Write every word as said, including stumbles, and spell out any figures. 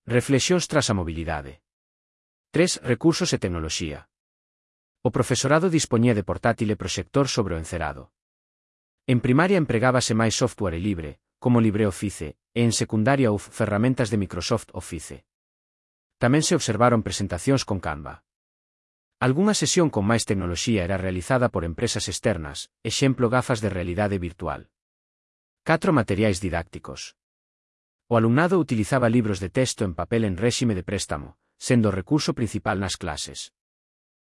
Reflexións tras a mobilidade. tres. Recursos e tecnoloxía. O profesorado dispoñía de portátil e proxector sobre o encerado. En primaria empregábase máis software libre, como LibreOffice, e en secundaria U F ferramentas de Microsoft Office. Tamén se observaron presentacións con Canva. Algunha sesión con máis tecnoloxía era realizada por empresas externas, exemplo gafas de realidade virtual. catro. Materiais didácticos. O alumnado utilizaba libros de texto en papel en réxime de préstamo, sendo o recurso principal nas clases.